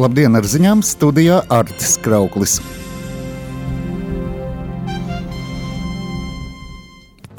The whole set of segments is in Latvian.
Labdien, ar ziņām studijā Artis Krauklis.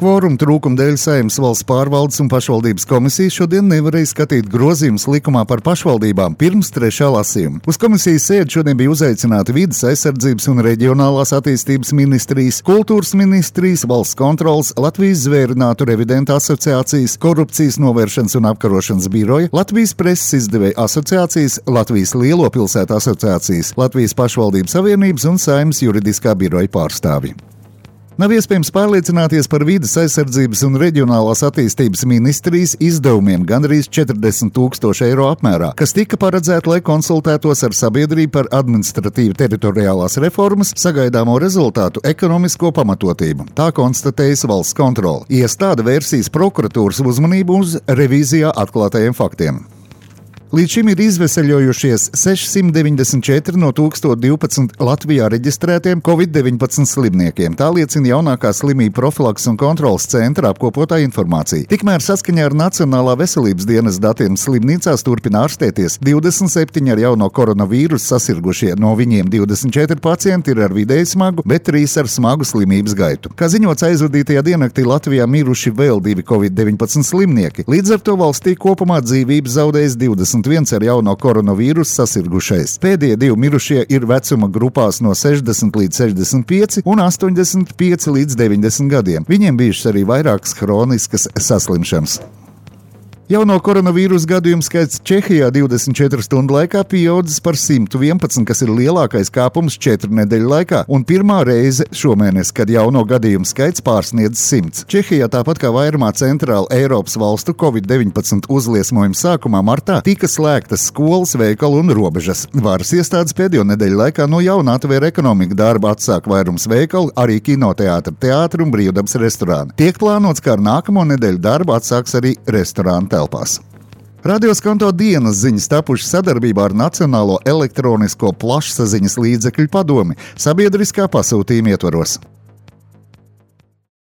Kvoruma trūkuma dēļ Saeimas Valsts pārvaldes un pašvaldības komisija šodien nevarēja skatīt grozījumus likumā par pašvaldībām pirms 3. lasījuma. Uz komisijas sēdi šodien bija uzaicināti Vides aizsardzības un reģionālās attīstības ministrijas, kultūras ministrijas, valsts kontroles, Latvijas zvērinātu revidentu asociācijas, korupcijas novēršanas un apkarošanas biroja, Latvijas preses izdevēja asociācijas, Latvijas lielo pilsētu asociācijas, Latvijas pašvaldības savienības un Saeimas juridiskā biroja pārstāvji. Nav iespējams pārliecināties par Vides aizsardzības un reģionālās attīstības ministrijas izdevumiem gandrīz 40,000 eiro apmērā, kas tika paredzēti, lai konsultētos ar sabiedrību par administratīvi teritoriālās reformas sagaidāmo rezultātu ekonomisko pamatotību. Tā konstatējas valsts kontrole. Iestāde vērsīs prokuratūras uzmanību uz revīzijā atklātajiem faktiem. Līdz šim ir izveseļojušies 694 no 1012 Latvijā reģistrētiem COVID-19 slimniekiem. Tā liecina jaunākā slimību profilakses un kontrolas centra apkopotā informācija. Tikmēr saskaņā ar Nacionālā veselības dienas datiem slimnīcās turpina ārstēties 27 ar jauno koronavīrusu sasirgušie. No viņiem 24 pacienti ir ar vidēji smagu, bet 3 ar smagu slimības gaitu. Kā ziņots, aizvadītajā diennaktī Latvijā miruši vēl 2 COVID-19 slimnieki. Līdz ar to valstī kopumā dzīvības zaudējis 21 ar jauno koronavīrusu sasirgušais. Pēdējie 2 mirušie ir vecuma grupās no 60 līdz 65 un 85 līdz 90 gadiem. Viņiem bijušas arī vairākas hroniskas saslimšanas. Jauno koronavīrusu gadījumu skaits Čehijā 24 stundu laikā pieaudzis par 111, kas ir lielākais kāpums 4 nedēļu laikā un pirmā reize šomēnes, kad jauno gadījumu skaits pārsniedz 100. Čehijā, tāpat kā vairumā centrāla Eiropas valstu COVID-19 uzliesmojuma sākumā martā, tika slēgtas skolas, veikali un robežas. Varas iestādes pēdējo nedēļu laikā no jauna atvēra ekonomiku darbu, atsāk vairums veikalu, arī kinoteātri, teātri un brīvdabas restorāni. Tiek plānots, ka ar nākamo nedēļu darbu atsāks arī restorānu telpās. Radio Skanto dienas ziņas tapušas sadarbībā ar Nacionālo elektronisko plašsaziņas līdzekļu padomi sabiedriskā pasūtījuma ietvaros.